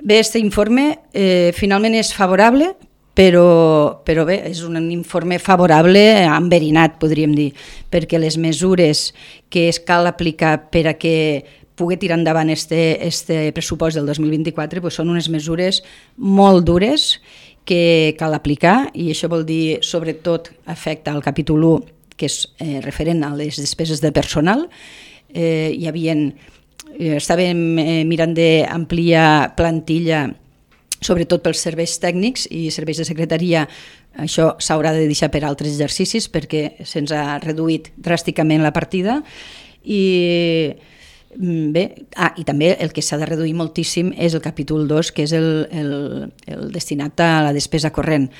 Bé, aquest informe finalment és favorable, però bé, és un informe favorable enverinat, podríem dir, perquè les mesures que es cal aplicar per a que pugui tirar endavant este pressupost del 2024 doncs són unes mesures molt dures que cal aplicar, i això vol dir, sobretot, afecta al capítol 1, que és referent a les despeses de personal. Estàvem mirant d'ampliar plantilla, sobretot pels serveis tècnics i serveis de secretaria. Això s'haurà de deixar per altres exercicis perquè se'ns ha reduït dràsticament la partida. I també el que s'ha de reduir moltíssim és el capítol 2, que és el destinat a la despesa corrent.